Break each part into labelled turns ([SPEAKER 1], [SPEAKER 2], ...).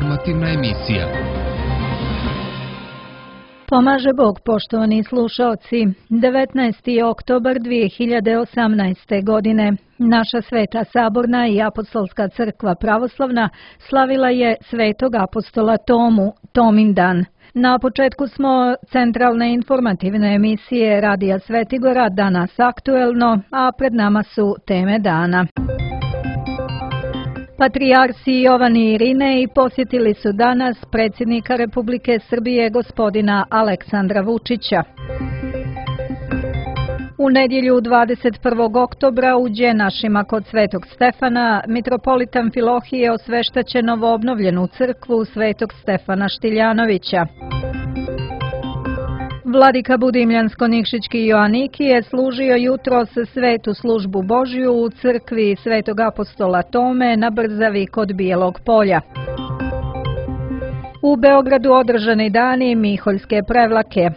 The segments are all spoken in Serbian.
[SPEAKER 1] Informativna emisija.
[SPEAKER 2] Pomaže Bog, poštovani slušaoci. 19. oktobar 2018. godine. Naša Sveta Saborna i Apostolska crkva pravoslavna slavila je Svetog apostola Tomu, Tomin dan. Na početku smo centralne informativne emisije Radija Svetigora, danas aktuelno, a pred nama su teme dana. Patrijarsi Jovan i Irinej posjetili su danas predsjednika Republike Srbije gospodina Aleksandra Vučića. U nedjelju 21. oktobra u Đenašima kod Svetog Stefana mitropolita Amfilohije osveštaće novoobnovljenu crkvu Svetog Stefana Štiljanovića. Vladika Budimljansko-Nikšićki Joanikije složio jutros svetu službu Božju u crkvi Svetog apostola Tome na Brzavi kod Bijelog polja. U Beogradu održani dani Miholjske prevlake.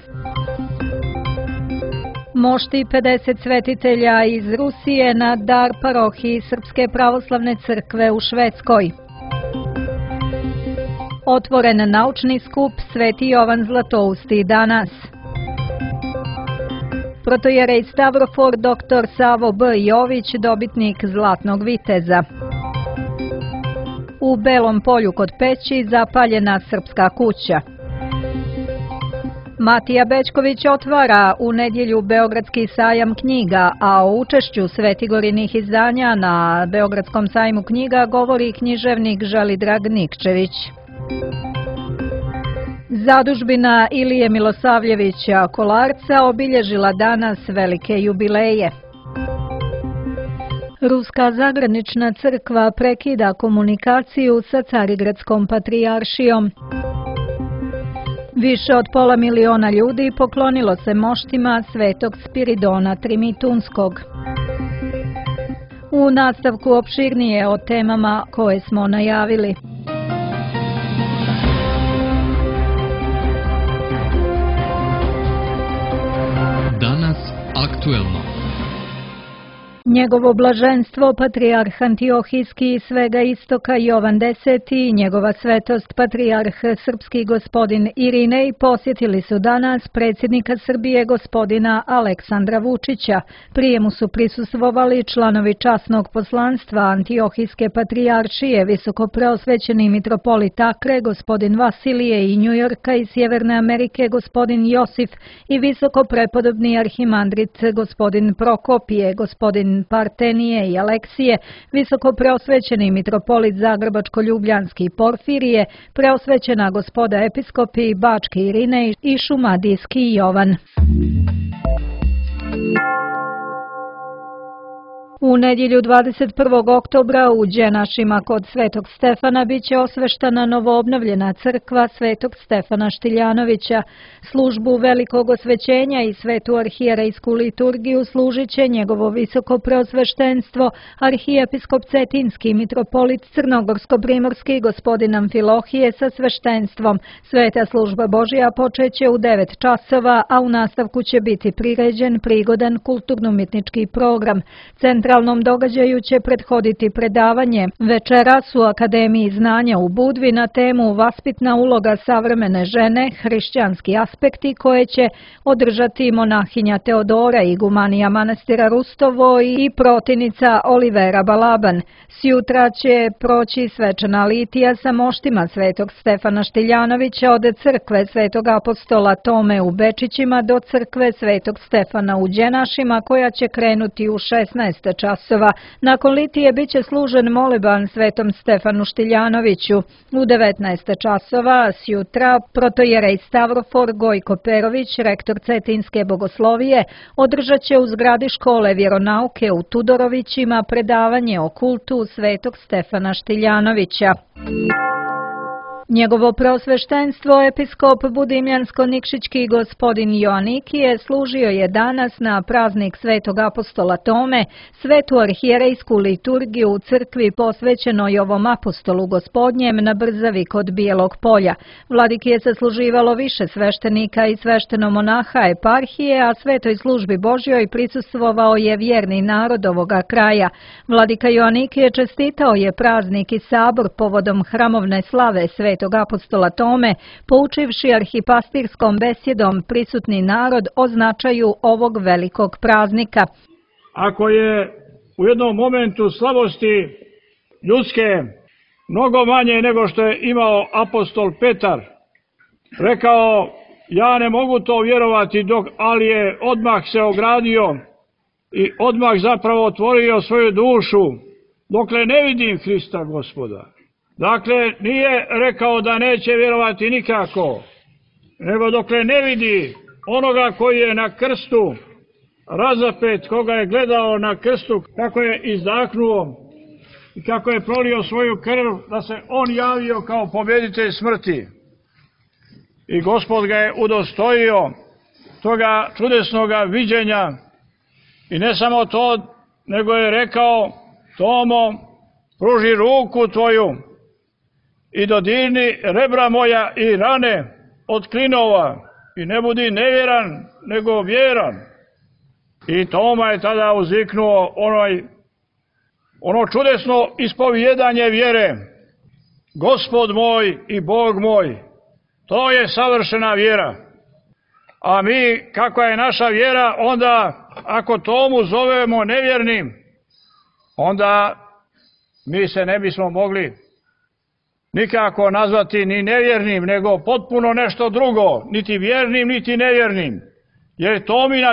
[SPEAKER 2] Mošti 50 svetitelja iz Rusije na dar parohiji Srpske pravoslavne crkve u Švedskoj. Otvoren naučni skup Sveti Jovan Zlatousti danas. Protojerej Stavrofor dr. Savo B. Jović, dobitnik Zlatnog viteza. U Belom polju kod Peći zapaljena Srpska kuća. Matija Bećković otvara u nedjelju Beogradski sajam knjiga, a o učešću svetigorinih izdanja na Beogradskom sajmu knjiga govori književnik Želidrag Nikčević. Zadužbina Ilije Milosavljevića Kolarca obilježila danas velike jubileje. Ruska zagranična crkva prekida komunikaciju sa Carigradskom patrijaršijom. Više od 500 000 ljudi poklonilo se moštima Svetog Spiridona Trimitunskog. U nastavku opširnije o temama koje smo najavili.
[SPEAKER 1] Danas aktuelno.
[SPEAKER 2] Njegovo blaženstvo patrijarh Antiohijski i svega istoka Jovan X i njegova svetost patrijarh srpski gospodin Irinej posjetili su danas predsjednika Srbije gospodina Aleksandra Vučića. Prijemu su prisustvovali članovi časnog poslanstva Antiohijske patrijaršije, visokopreosvećeni mitropolit Akre gospodin Vasilije i Njujorka i Sjeverne Amerike gospodin Josif i visokoprepodobni arhimandrit gospodin Prokopije, gospodin Partenije i Aleksije, visoko preosvećeni mitropolit Zagrebačko-Ljubljanski Porfirije, preosvećena gospoda episkopi Bački Irinej i Šumadijski Jovan. U nedjelju 21. oktobra u Đenašima kod Svetog Stefana biće osveštana novoobnovljena crkva Svetog Stefana Štiljanovića. Službu velikog osvećenja i svetu arhijerejsku liturgiju služit će njegovo visoko preosveštenstvo, arhijepiskop Cetinski mitropolit Crnogorsko-primorski gospodin Amfilohije sa sveštenstvom. Sveta služba Božja počeće u 9 časova, a u nastavku će biti priređen prigodan kulturno-umjetnički program. Centralnom događaju će prethoditi predavanje večeras u Akademiji znanja u Budvi na temu Vaspitna uloga savremene žene, hrišćanski aspekti, koje će održati monahinja Teodora, igumanija manastira Rustovo i protinica Olivera Balaban. Sjutra će proći svečana litija sa moštima Svetog Stefana Štiljanovića od crkve Svetog apostola Tome u Bečićima do crkve Svetog Stefana u Đenašima, koja će krenuti u 16 časova. Nakon litije biće služen moleban Svetom Stefanu Štiljanoviću. U 19 časova sjutra protojerej Stavrofor Gojko Perović, rektor Cetinske bogoslovije, održat će u zgradi škole vjeronauke u Tudorovićima predavanje o kultu Svetog Stefana Štiljanovića. Njegovo preosveštenstvo episkop Budimljansko-Nikšićki gospodin Joanikije služio je danas na praznik Svetog apostola Tome svetu arhijerejsku liturgiju u crkvi posvećenoj ovom apostolu gospodnjem na Brzavi kod Bijelog polja. Vladiki je sasluživalo više sveštenika i sveštenomonaha eparhije, a svetoj službi Božjoj prisustvovao je vjerni narod ovoga kraja. Vladika Joanikije čestitao je praznik i sabor povodom hramovne slave Svete svetog apostola Tome, poučivši arhipastirskom besjedom prisutni narod o značaju ovog velikog praznika.
[SPEAKER 3] Ako je u jednom momentu slabosti ljudske mnogo manje nego što je imao apostol Petar, rekao, ja ne mogu to vjerovati, ali je odmah se ogradio i odmah zapravo otvorio svoju dušu, dokle ne vidim Hrista Gospoda. Dakle, nije rekao da neće vjerovati nikako, nego dokle ne vidi onoga koji je na krstu razapet, koga je gledao na krstu, kako je izdahnuo i kako je prolio svoju krv, da se on javio kao pobjeditelj smrti. I Gospod ga je udostojio toga čudesnoga viđenja. I ne samo to, nego je rekao, Tomo, pruži ruku tvoju i dodirni rebra moja i rane od klinova i ne budi nevjeran, nego vjeran. I Toma je tada uzviknuo ono čudesno ispovjedanje vjere. Gospod moj i Bog moj, to je savršena vjera. A mi, kakva je naša vjera, onda ako Tomu zovemo nevjernim, onda mi se ne bismo mogli nikako nazvati ni nevjernim, nego potpuno nešto drugo, niti vjernim, niti nevjernim. Jer Tomina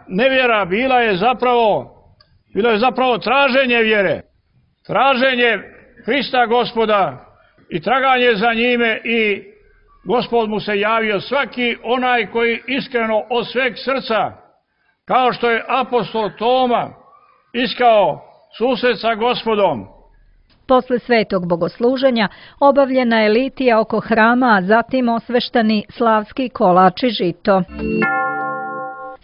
[SPEAKER 3] nevjera bila je zapravo traženje vjere, traženje Hrista Gospoda i traganje za njime, i Gospod mu se javio. Svaki onaj koji iskreno od sveg srca, kao što je apostol Toma iskao susret sa Gospodom.
[SPEAKER 2] Posle svetog bogosluženja obavljena je litija oko hrama, a zatim osveštani slavski kolač i žito.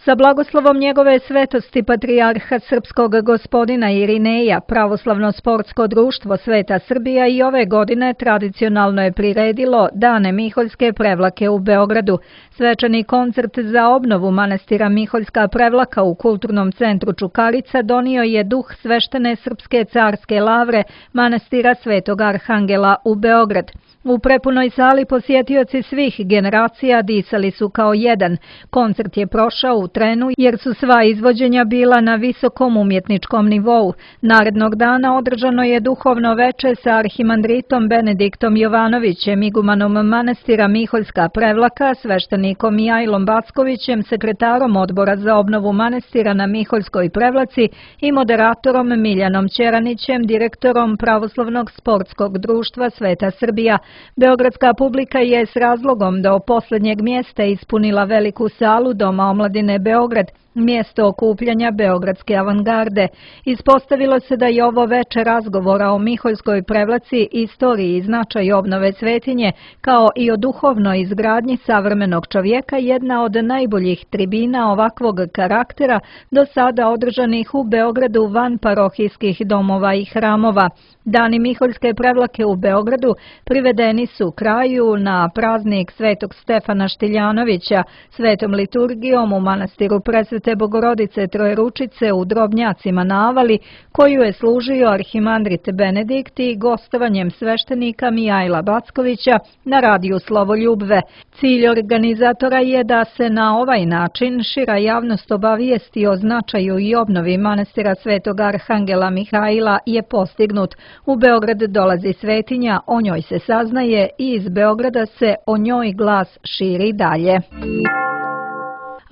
[SPEAKER 2] Sa blagoslovom njegove svetosti patrijarha srpskog gospodina Irineja, Pravoslavno sportsko društvo Sveta Srbija i ove godine tradicionalno je priredilo Dane Miholjske prevlake u Beogradu. Svečani koncert za obnovu manastira Miholjska prevlaka u Kulturnom centru Čukarica donio je duh sveštene srpske carske lavre manastira Svetog Arhangela u Beograd. U prepunoj sali posjetioci svih generacija disali su kao jedan. Koncert je prošao u trenu jer su sva izvođenja bila na visokom umjetničkom nivou. Narednog dana održano je duhovno veče sa arhimandritom Benediktom Jovanovićem, igumanom manastira Miholjska prevlaka, sveštenikom Mijajlom Backovićem, sekretarom odbora za obnovu manastira na Miholjskoj prevlaci i moderatorom Miljanom Ćeranićem, direktorom Pravoslavnog sportskog društva Sveta Srbija. Beogradska publika je s razlogom do poslednjeg mjesta ispunila veliku salu Doma omladine Beograd, mjesto okupljanja beogradske avangarde. Ispostavilo se da je ovo veče razgovora o Miholjskoj prevlaci, istoriji i značaju obnove svetinje, kao i o duhovnoj izgradnji savremenog čovjeka, jedna od najboljih tribina ovakvog karaktera do sada održanih u Beogradu van parohijskih domova i hramova. Dani Miholjske prevlake u Beogradu privedeni su kraju na praznik Svetog Stefana Štiljanovića, svetom liturgijom u manastiru Presvete Bogorodice Trojeručice u Drobnjacima na Avali, koju je služio arhimandrit Benedikt, i gostovanjem sveštenika Mijajla Backovića na radiju Slovoljubve. Cilj organizatora je da se na ovaj način šira javnost obavijesti o značaju i obnovi manastira Svetog Arhangela Mihajla je postignut. U Beograd dolazi svetinja, o njoj se saznaje i iz Beograda se o njoj glas širi dalje.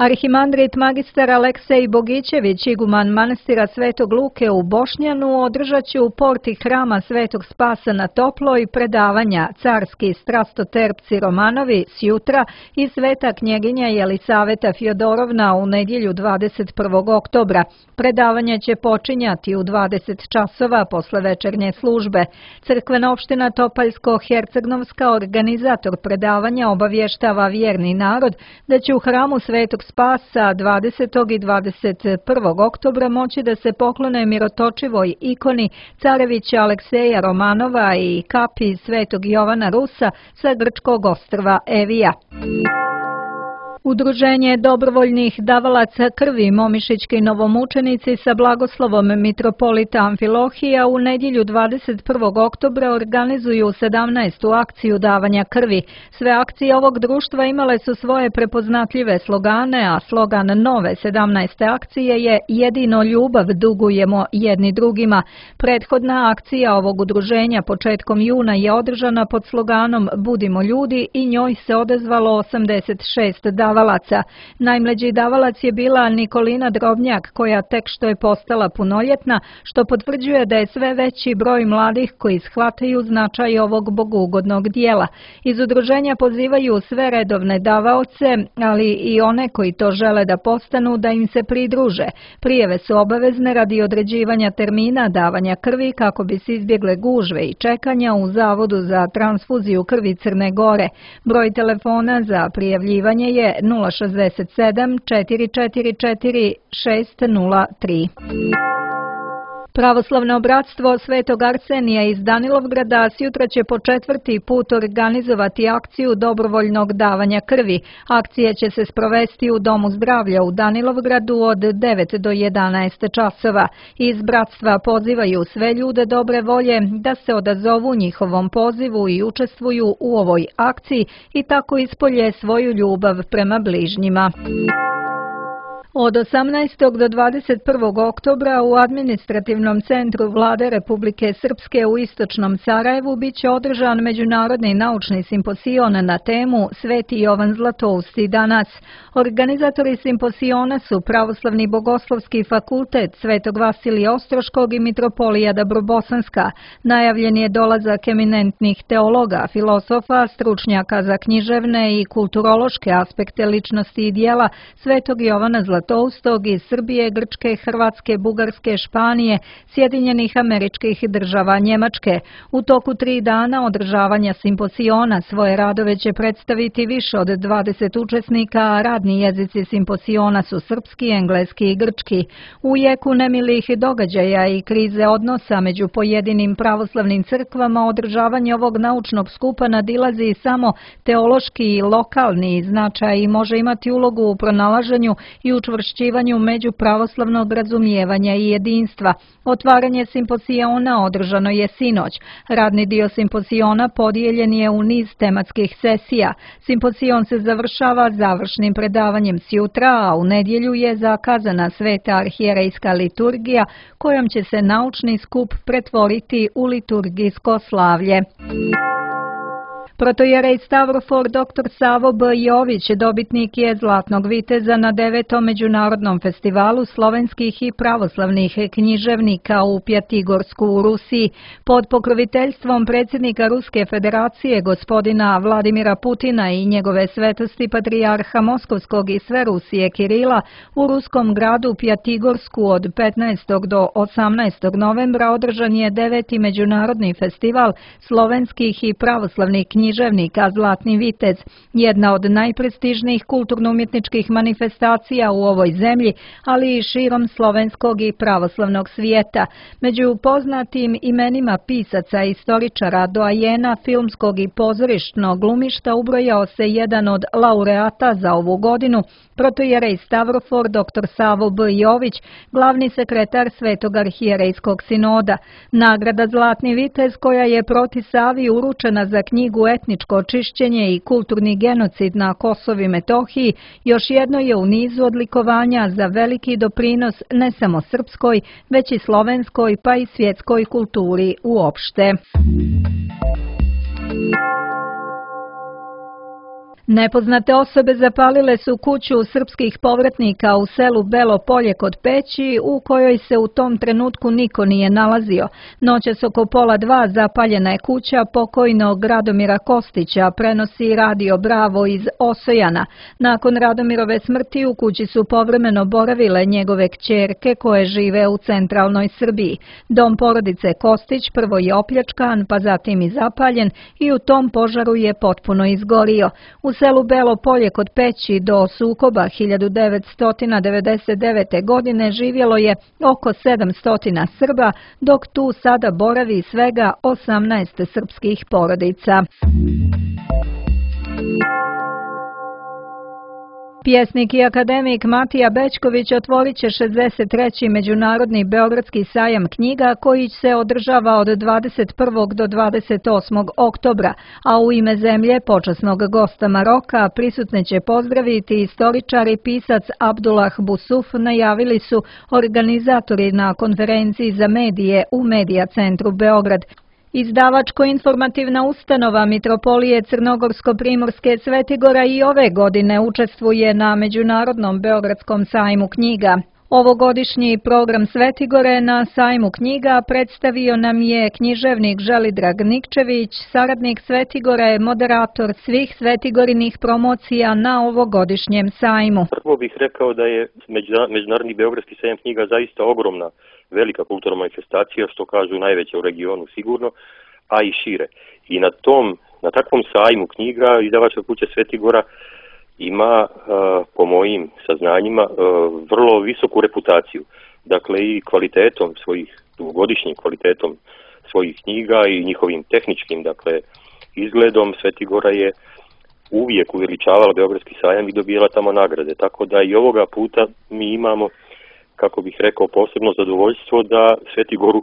[SPEAKER 2] Arhimandrit magistar Aleksej Bogićević, iguman manastira Svetog Luke u Bošnjanu, održat će u porti hrama Svetog Spasa na Toploj predavanja Carski strastoterpci Romanovi sjutra i Sveta knjeginja Jelisaveta Fjodorovna u nedjelju 21. oktobra. Predavanja će počinjati u 20 časova posle večernje službe. Crkvena opština Topaljsko-Hercegnovska, organizator predavanja, obavještava vjerni narod da će u hramu Svetog Spasa 20. i 21. oktobra moći da se poklone mirotočivoj ikoni carevića Alekseja Romanova i kapi Svetog Jovana Rusa sa grčkog ostrva Evija. Udruženje dobrovoljnih davalaca krvi Momišićki novomučenici sa blagoslovom mitropolita Amfilohija u nedjelju 21. oktobra organizuju 17. akciju davanja krvi. Sve akcije ovog društva imale su svoje prepoznatljive slogane, a slogan nove 17. akcije je "Jedino ljubav dugujemo jedni drugima". Prethodna akcija ovog udruženja početkom juna je održana pod sloganom "Budimo ljudi" i njoj se odazvalo 86 davalaca. Najmlađi davalac je bila Nikolina Drobnjak, koja tek što je postala punoljetna, što potvrđuje da je sve veći broj mladih koji shvataju značaj ovog bogugodnog dijela. Iz udruženja pozivaju sve redovne davaoce, ali i one koji to žele da postanu, da im se pridruže. Prijave su obavezne radi određivanja termina davanja krvi kako bi se izbjegle gužve i čekanja u Zavodu za transfuziju krvi Crne Gore. Broj telefona za prijavljivanje je 067 444 603. Pravoslavno bratstvo Svetog Arsenija iz Danilovgrada sutra će po 4. put organizovati akciju dobrovoljnog davanja krvi. Akcija će se sprovesti u Domu zdravlja u Danilovgradu od 9 do 11 časova. Iz bratstva pozivaju sve ljude dobre volje da se odazovu njihovom pozivu i učestvuju u ovoj akciji i tako ispolje svoju ljubav prema bližnjima. Od 18. do 21. oktobra u administrativnom centru Vlade Republike Srpske u istočnom Sarajevu biće održan međunarodni naučni simposion na temu Sveti Jovan Zlatousti danas. Organizatori simposiona su Pravoslavni bogoslovski fakultet Svetog Vasilija Ostroškog i Mitropolija Dabrobosanska. Najavljen je dolazak eminentnih teologa, filosofa, stručnjaka za književne i kulturološke aspekte ličnosti i dijela Svetog Jovana Zlatoustog iz Srbije, Grčke, Hrvatske, Bugarske, Španije, Sjedinjenih Američkih Država, Njemačke. U toku 3 dana održavanja simposiona svoje radove će predstaviti više od 20 učesnika, a radni jezici simposiona su srpski, engleski i grčki. U jeku nemilih događaja i krize odnosa među pojedinim pravoslavnim crkvama održavanje ovog naučnog skupa nadilazi samo teološki i lokalni značaj i može imati ulogu u pronalaženju i učvršćivanju međupravoslavnog razumijevanja i jedinstva. Otvaranje simposiona održano je sinoć. Radni dio simposiona podijeljen je u niz tematskih sesija. Simposion se završava završnim predavanjem sjutra, a u nedjelju je zakazana sveta arhijerejska liturgija kojom će se naučni skup pretvoriti u liturgijsko slavlje. Protojerej Stavrofor dr. Savo B. Jović dobitnik je Zlatnog viteza na 9. međunarodnom festivalu slovenskih i pravoslavnih književnika u Pjatigorsku u Rusiji. Pod pokroviteljstvom predsjednika Ruske federacije gospodina Vladimira Putina i njegove svetosti patrijarha Moskovskog i sve Rusije Kirila u ruskom gradu Pjatigorsku od 15. do 18. novembra održan je 9. međunarodni festival slovenskih i pravoslavnih književnika Zlatni vitez, jedna od najprestižnijih kulturno-umjetničkih manifestacija u ovoj zemlji, ali i širom slovenskog i pravoslavnog svijeta. Među poznatim imenima pisaca, istoričara, doajena filmskog i pozorišnog glumišta ubrojao se jedan od laureata za ovu godinu, protojerej Stavrofor dr. Savo B. Jović, glavni sekretar Svetog arhijerejskog sinoda. Nagrada Zlatni vitez, koja je proti Savi uručena za knjigu Etničko očišćenje i kulturni genocid na Kosovu i Metohiji, još jedno je u nizu odlikovanja za veliki doprinos ne samo srpskoj, već i slovenskoj pa i svjetskoj kulturi uopšte. Nepoznate osobe zapalile su kuću srpskih povratnika u selu Belo Polje kod Peći, u kojoj se u tom trenutku niko nije nalazio. Noćas oko 1:30 zapaljena je kuća pokojnog Radomira Kostića, prenosi Radio Bravo iz Osojana. Nakon Radomirove smrti u kući su povremeno boravile njegove kćerke koje žive u centralnoj Srbiji. Dom porodice Kostić prvo je opljačkan, pa zatim i zapaljen i u tom požaru je potpuno izgorio. U selu Belo Polje kod Peći do sukoba 1999. godine živjelo je oko 700 Srba, dok tu sada boravi svega 18 srpskih porodica. Pjesnik i akademik Matija Bećković otvorit će 63. Međunarodni Beogradski sajam knjiga koji se održava od 21. do 28. oktobra, a u ime zemlje počasnog gosta Maroka prisutne će pozdraviti istoričar i pisac Abdullah Busuf, najavili su organizatori na konferenciji za medije u Medija centru Beograd. Izdavačko-informativna ustanova Mitropolije Crnogorsko-Primorske Svetigora i ove godine učestvuje na Međunarodnom Beogradskom sajmu knjiga. Ovogodišnji program Svetigore na sajmu knjiga predstavio nam je književnik Želidrag Nikčević, saradnik Svetigore, moderator svih Svetigorinih promocija na ovogodišnjem sajmu.
[SPEAKER 4] Prvo bih rekao da je Međunarodni Beogradski sajam knjiga zaista ogromna, velika kulturna manifestacija, što kažu najveća u regionu sigurno, a i šire. I na takvom sajmu knjiga izdavačka kuća Svetigora ima, po mojim saznanjima, vrlo visoku reputaciju. Dakle, i kvalitetom dugogodišnjim kvalitetom svojih knjiga i njihovim tehničkim, izgledom Svetigora je uvijek uveličavala Beogradski sajam i dobijala tamo nagrade. Tako da i ovoga puta mi imamo, kako bih rekao, posebno zadovoljstvo da Svetigoru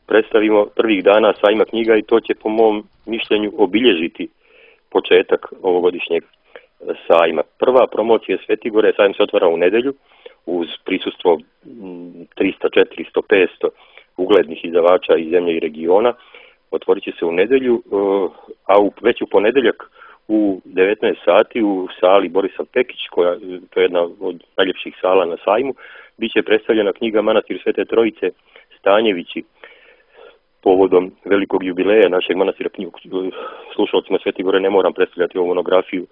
[SPEAKER 4] predstavimo prvih dana sajma knjiga i to će po mom mišljenju obilježiti početak ovogodišnjeg sajma. Prva promocija Svetigore, sajam se otvara u nedjelju uz prisustvo 300, 400, 500 uglednih izdavača iz zemlje i regiona. Otvorit će se u nedjelju, a već u ponedjeljak u 19 sati u sali Borisa Pekić, to je jedna od najljepših sala na sajmu, bit će predstavljena knjiga Manastir Svete Trojice Stanjevići povodom velikog jubileja našeg manastira. Slušalcima Svetigore ne moram predstavljati ovu monografiju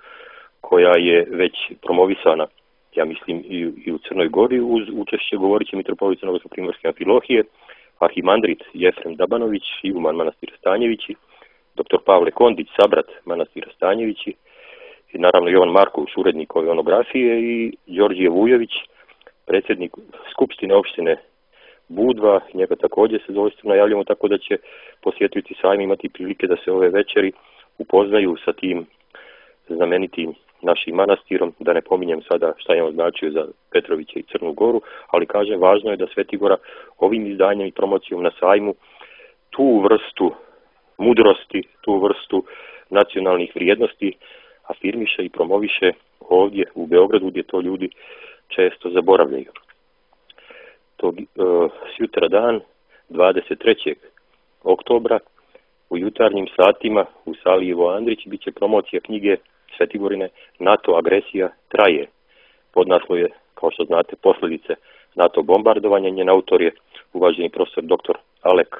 [SPEAKER 4] koja je već promovisana, ja mislim, i u Crnoj Gori. Uz učešće govorit će mitropolit Crnogorsko-Primorske Amfilohije, arhimandrit Jefrem Dabanović, iguman manastira Stanjevići, dr. Pavle Kondić, sabrat manastira Stanjevići, i naravno Jovan Marković, urednik ove monografije, i Đorđije Vujović, predsjednik Skupštine opštine Budva, njega također se zadovoljstvo najavljamo, tako da će posjetitelji sajma imati prilike da se ove večeri upoznaju sa tim znamenitim našim manastirom, da ne pominjem sada šta je on značio za Petrovića i Crnu Goru, ali kažem, važno je da Svetigora ovim izdanjem i promocijom na sajmu tu vrstu mudrosti, tu vrstu nacionalnih vrijednosti afirmiše i promoviše ovdje u Beogradu, gdje to ljudi često zaboravljaju. Sutra dan, 23. oktobra, u jutarnjim satima u sali Ivo Andrić bit će promocija knjige Svetigorine NATO agresija traje. Podnaslov je, kao što znate, posljedice NATO bombardovanja. Njen autor je uvaženi profesor dr. Alek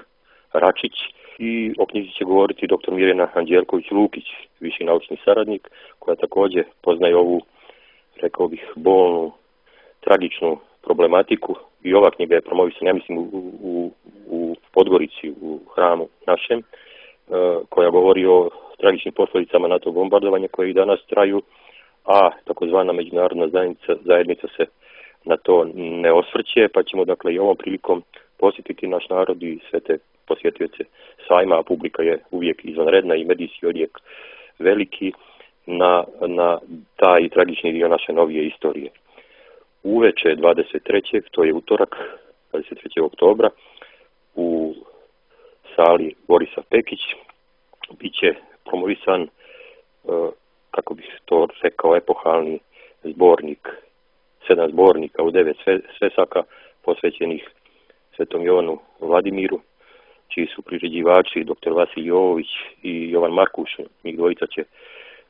[SPEAKER 4] Račić i o knjizi će govoriti dr. Mirjana Anđelković-Lukić, viši naučni saradnik, koja također poznaje ovu, rekao bih, bolnu, tragičnu problematiku. I ova knjiga je promovisana, ja mislim, u Podgorici, u hramu našem, koja govori o tragičnim posljedicama NATO bombardovanja koje i danas traju, a takozvana međunarodna zajednica se na to ne osvrće, pa ćemo i ovom prilikom posjetiti naš narod i sve te posjetioce sajma, a publika je uvijek izvanredna i medijski odjek veliki na taj tragični dio naše novije istorije. Uveče 23. to je utorak, 23. oktobra, u sali Borisa Pekić bit će promovisan, kako bih to rekao, epohalni zbornik, 7 zbornika u 9 svesaka posvećenih Svetom Jovanu Vladimiru, čiji su priređivači dr. Vasilij Jovović i Jovan Markuš. Njih dvojica će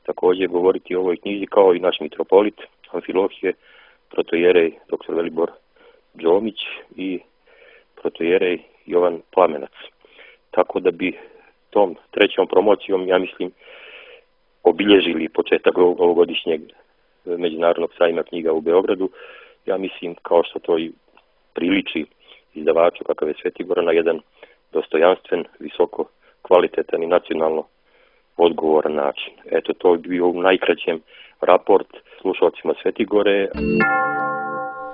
[SPEAKER 4] također govoriti o ovoj knjizi, kao i naš mitropolit Amfilohije, protojerej dr. Velibor Đomić i protojerej Jovan Plamenac. Tako da bi tom trećom promocijom, ja mislim, obilježili početak ovogodišnjeg međunarodnog sajma knjiga u Beogradu. Ja mislim, kao što to i priliči izdavaču kakav je Svetigora, na jedan dostojanstven, visoko kvalitetan i nacionalno odgovoran način. Eto, to je bio u najkraćem raport slušalcima Svetigore.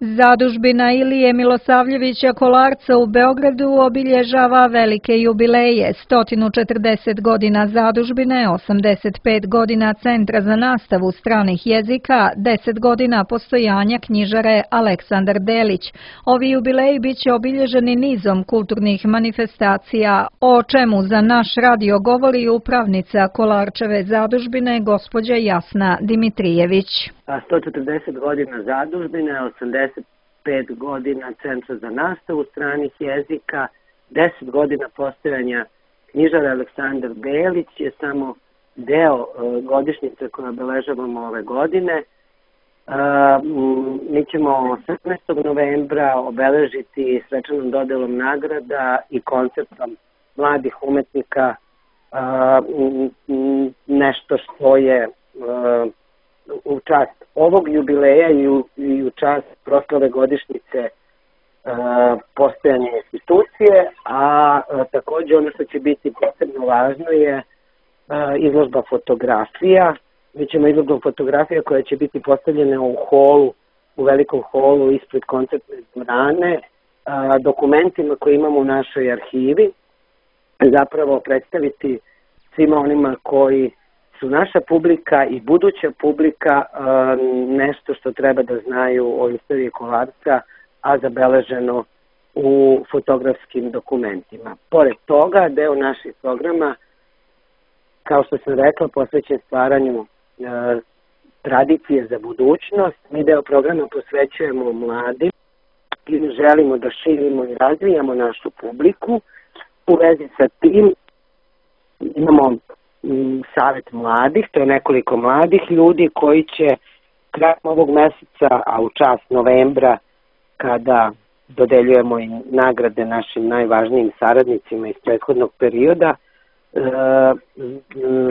[SPEAKER 2] Zadužbina Ilije Milosavljevića Kolarca u Beogradu obilježava velike jubileje, 140 godina zadužbine, 85 godina Centra za nastavu stranih jezika, 10 godina postojanja knjižare Aleksandar Delić. Ovi jubileji biće obilježeni nizom kulturnih manifestacija, o čemu za naš radio govori upravnica Kolarčeve zadužbine, gospođa Jasna Dimitrijević.
[SPEAKER 5] 140 godina zadužbine, 85 godina Centra za nastavu stranih jezika, 10 godina postojanja knjižare Aleksandar Delić je samo deo godišnjice koje obeležavamo ove godine. Mi ćemo 18. novembra obeležiti svečanom dodelom nagrada i koncertom mladih umetnika, nešto što je u čast ovog jubileja i u čast proslave godišnjice postojanja institucije, a takođe ono što će biti posebno važno je izložba fotografija. Mi ćemo izložbu fotografija koja će biti postavljena u holu, u velikom holu ispred koncertne dvorane, dokumentima koje imamo u našoj arhivi, zapravo predstaviti svima onima koji su naša publika i buduća publika nešto što treba da znaju o istoriji Kolarca, a zabeleženo u fotografskim dokumentima. Pored toga, deo naših programa, kao što sam rekla, posvećen stvaranju tradicije za budućnost. Mi deo programa posvećujemo mladim i želimo da širimo i razvijamo našu publiku. U vezi sa tim imamo Savet mladih, to je nekoliko mladih ljudi koji će krajem ovog meseca, a u čast novembra, kada dodeljujemo i nagrade našim najvažnijim saradnicima iz prethodnog perioda,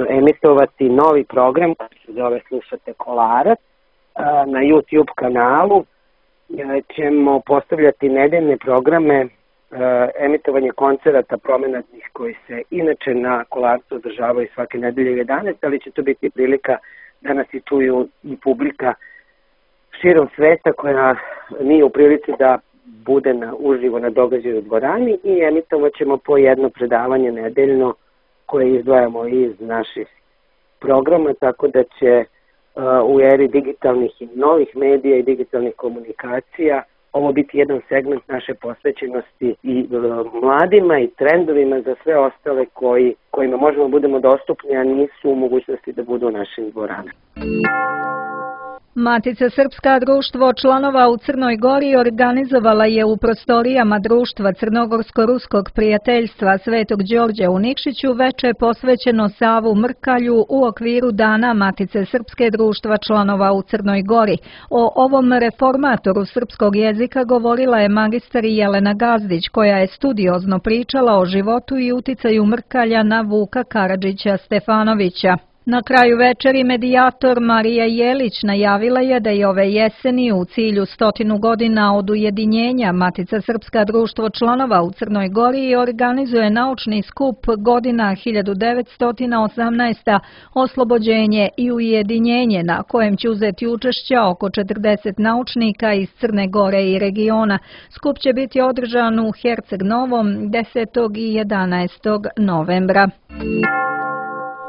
[SPEAKER 5] emitovati novi program koji se zove Slušate Kolarac. Na YouTube kanalu ćemo postavljati nedeljne programe, emitovanje koncerata promenadnih koji se inače na Kolarcu održavaju svake nedelje 11, ali će to biti prilika da nas i čuju i publika širom sveta koja nije u prilici da bude uživo na događaju u dvorani, i emitovat ćemo po jedno predavanje nedeljno koje izdvajamo iz naših programa, tako da će u eri digitalnih i novih medija i digitalnih komunikacija ovo biti jedan segment naše posvećenosti i mladima i trendovima za sve ostale kojima možemo budemo dostupni, a nisu u mogućnosti da budu u našim dvoranama.
[SPEAKER 2] Matica Srpska društvo članova u Crnoj Gori organizovala je u prostorijama društva Crnogorsko-ruskog prijateljstva Svetog Đorđa u Nikšiću veče posvećeno Savu Mrkalju u okviru Dana Matice Srpske društva članova u Crnoj Gori. O ovom reformatoru srpskog jezika govorila je magistar Jelena Gazdić, koja je studiozno pričala o životu i uticaju Mrkalja na Vuka Karadžića Stefanovića. Na kraju večeri medijator Marija Jelić najavila je da je ove jeseni u cilju 100 godina od ujedinjenja Matica Srpska društvo članova u Crnoj Gori organizuje naučni skup godina 1918. Oslobođenje i ujedinjenje, na kojem će uzeti učešća oko 40 naučnika iz Crne Gore i regiona. Skup će biti održan u Herceg Novom 10. i 11. novembra.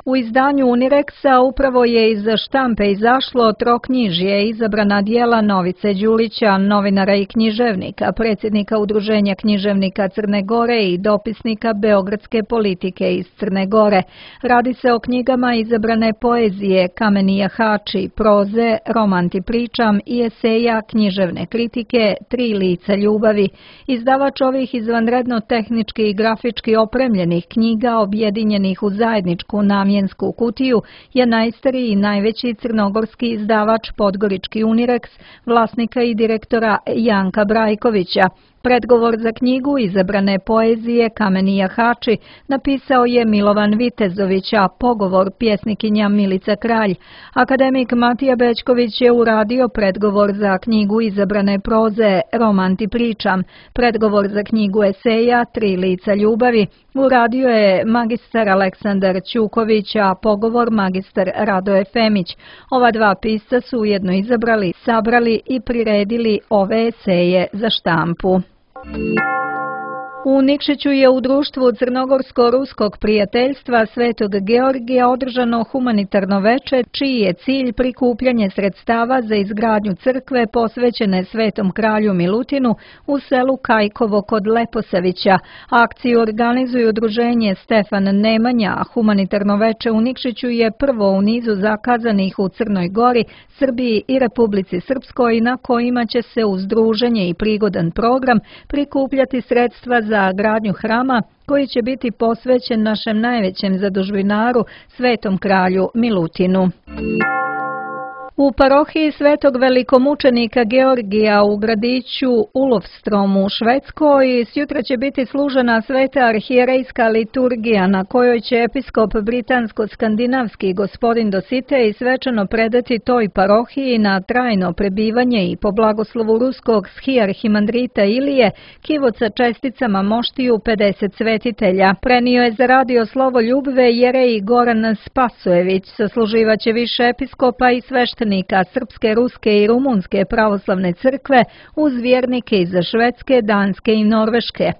[SPEAKER 2] U izdanju Unireksa upravo je iz štampe izašlo troknjižje izabrana dijela Novice Đulića, novinara i književnika, predsjednika Udruženja književnika Crne Gore i dopisnika Beogradske politike iz Crne Gore. Radi se o knjigama izabrane poezije Kameni jahači, proze, Roman ti pričam i eseja književne kritike Tri lica ljubavi. Izdavač ovih izvanredno tehnički i grafički opremljenih knjiga objedinjenih u zajedničku namjensku kutiju je najstariji i najveći crnogorski izdavač Podgorički Unireks, vlasnika i direktora Janka Brajkovića. Predgovor za knjigu izabrane poezije Kameni jahači napisao je Milovan Vitezović, a pogovor pjesnikinja Milica Kralj. Akademik Matija Bećković je uradio predgovor za knjigu izabrane proze Roman ti pričam. Predgovor za knjigu eseja Tri lica ljubavi uradio je magistar Aleksandar Ćuković, a pogovor magistar Radoje Femić. Ova dva pisca su ujedno izabrali, sabrali i priredili ove eseje za štampu. U Nikšiću je u društvu Crnogorsko-ruskog prijateljstva Svetog Georgija održano humanitarno veče, čiji je cilj prikupljanje sredstava za izgradnju crkve posvećene Svetom kralju Milutinu u selu Kajkovo kod Leposavića. Akciju organizuju udruženje Stefan Nemanja, a humanitarno veče u Nikšiću je prvo u nizu zakazanih u Crnoj Gori, Srbiji i Republici Srpskoj, na kojima će se uz druženje i prigodan program prikupljati sredstva za gradnju hrama koji će biti posvećen našem najvećem zadužbinaru, Svetom kralju Milutinu. U parohiji Svetog velikomučenika Georgija u gradiću Ulofstrom u Švedskoj sjutra će biti služena sveta arhijerejska liturgija na kojoj će episkop britansko-skandinavski gospodin Dositej svečano predati toj parohiji na trajno prebivanje i po blagoslovu ruskog schiarhimandrita Ilije kivot sa česticama moštiju 50 svetitelja. Prenio je za radio Slovo Ljubve jerej Goran Spasojević, sasluživaće više episkopa i sveštenika Srpske, Ruske i Rumunske pravoslavne crkve uz vjernike iz Švedske, Danske i Norveške.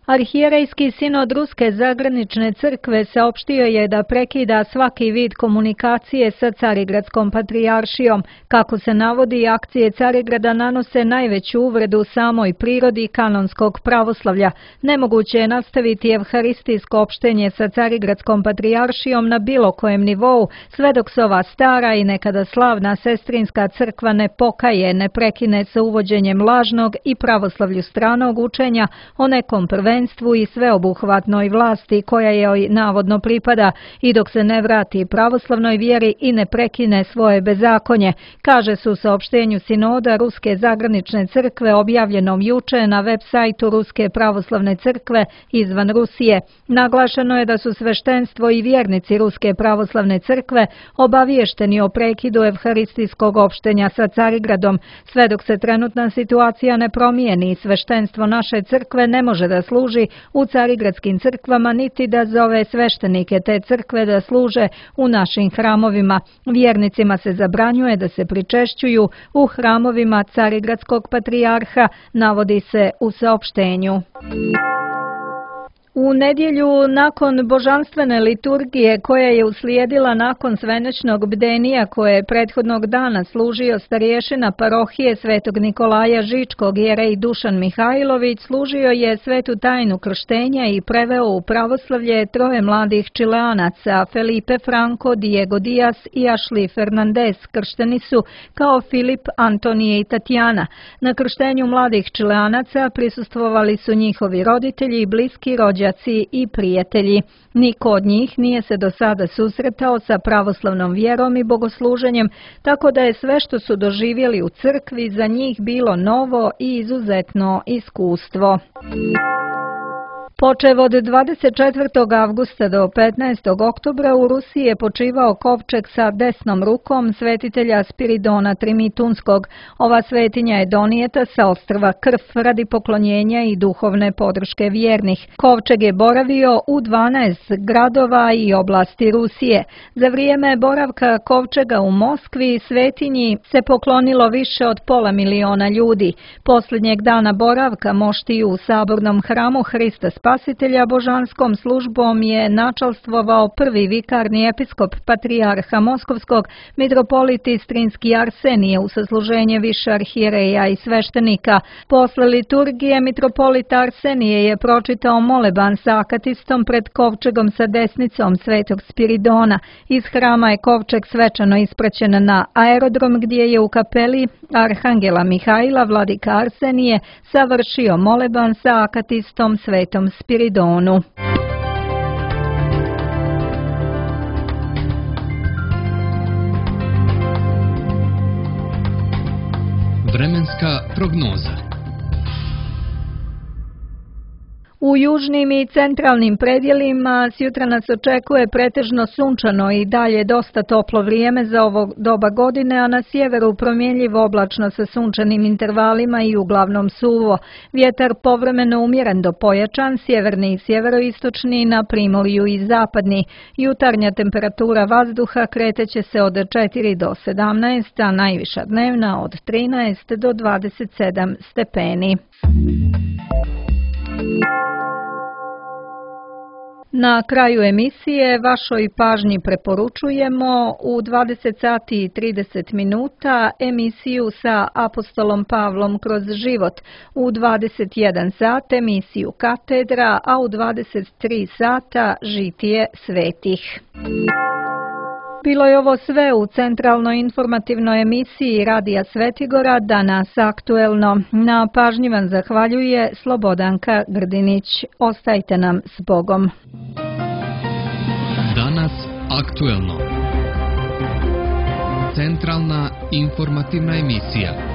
[SPEAKER 2] Arhijerejski sinod Ruske zagranične crkve saopštio je da prekida svaki vid komunikacije sa Carigradskom patrijaršijom. Kako se navodi, akcije Carigrada nanose najveću uvredu samoj prirodi kanonskog pravoslavlja. Nemoguće je nastaviti evharistijsko opštenje sa Carigradskom patrijaršijom na bilo kojem nivou, sve dok se ova stara i nekada slavna sestrinska crkva ne pokaje, ne prekine sa uvođenjem lažnog i pravoslavlju stranog učenja o nekom prvenstvu i sveobuhvatnoj vlasti koja joj navodno pripada i dok se ne vrati pravoslavnoj vjeri i ne prekine svoje bezakonje, kaže se u saopštenju sinoda Ruske zagranične crkve objavljenom juče na web sajtu Ruske pravoslavne crkve izvan Rusije. Naglašeno je da su sveštenstvo i vjernici Ruske pravoslavne crkve obaviješteni o prekidu evharistijskog opštenja sa Carigradom. Sve dok se trenutna situacija ne promijeni, sveštenstvo naše crkve ne može da služi u carigradskim crkvama niti da zove sveštenike te crkve da služe u našim hramovima. Vjernicima se zabranjuje da se pričešćuju u hramovima Carigradskog patrijarha, navodi se u saopštenju. U nedjelju nakon božanstvene liturgije koja je uslijedila nakon svenečnog bdenija koje je prethodnog dana služio starješina parohije Svetog Nikolaja Žičkog jerej Dušan Mihajlović, služio je svetu tajnu krštenja i preveo u pravoslavlje troje mladih Čileanaca, Felipe Franco, Diego Diaz i Ashley Fernandez. Kršteni su kao Filip, Antonije i Tatjana. Na krštenju mladih Čileanaca prisustvovali su njihovi roditelji, bliski rođaci i prijatelji. Niko od njih nije se do sada susretao sa pravoslavnom vjerom i bogosluženjem, tako da je sve što su doživjeli u crkvi za njih bilo novo i izuzetno iskustvo. Počev od 24. avgusta do 15. oktobra u Rusiji je počivao kovčeg sa desnom rukom svetitelja Spiridona Trimitunskog. Ova svetinja je donijeta sa ostrva Krf radi poklonjenja i duhovne podrške vjernih. Kovčeg je boravio u 12 gradova i oblasti Rusije. Za vrijeme boravka kovčega u Moskvi svetinji se poklonilo više od 500.000 ljudi. Posljednjeg dana boravka moštiju u sabornom hramu Hrista Spasitelja božanskom službom je načalstvovao prvi vikarni episkop patrijarha Moskovskog, mitropolit Istrinski Arsenije u sasluženje više arhijereja i sveštenika. Posle liturgije mitropolit Arsenije je pročitao moleban sa akatistom pred kovčegom sa desnicom Svetog Spiridona. Iz hrama je kovčeg svečano ispraćen na aerodrom gdje je u kapeli Arhangela Mihajla vladika Arsenije savršio moleban sa akatistom Svetom Spiridonu.
[SPEAKER 1] Vremenska prognoza.
[SPEAKER 2] U južnim i centralnim predjelima s jutra nas očekuje pretežno sunčano i dalje dosta toplo vrijeme za ovo doba godine, a na sjeveru promjenjivo oblačno sa sunčanim intervalima i uglavnom suvo. Vjetar povremeno umjeren do pojačan, sjeverni i sjeveroistočni, na primorju i zapadni. Jutarnja temperatura vazduha kreteće se od 4 do 17, a najviša dnevna od 13 do 27 stepeni. Na kraju emisije vašoj pažnji preporučujemo u 20 sati i 30 minuta emisiju sa apostolom Pavlom kroz život, u 21 sat emisiju Katedra, a u 23 sata Žitije svetih. Bilo je ovo sve u centralnoj informativnoj emisiji Radija Svetigora, danas aktuelno. Na pažnji vam zahvaljuje Slobodanka Grdinić. Ostajte nam s Bogom.
[SPEAKER 1] Danas aktuelno. Centralna informativna emisija.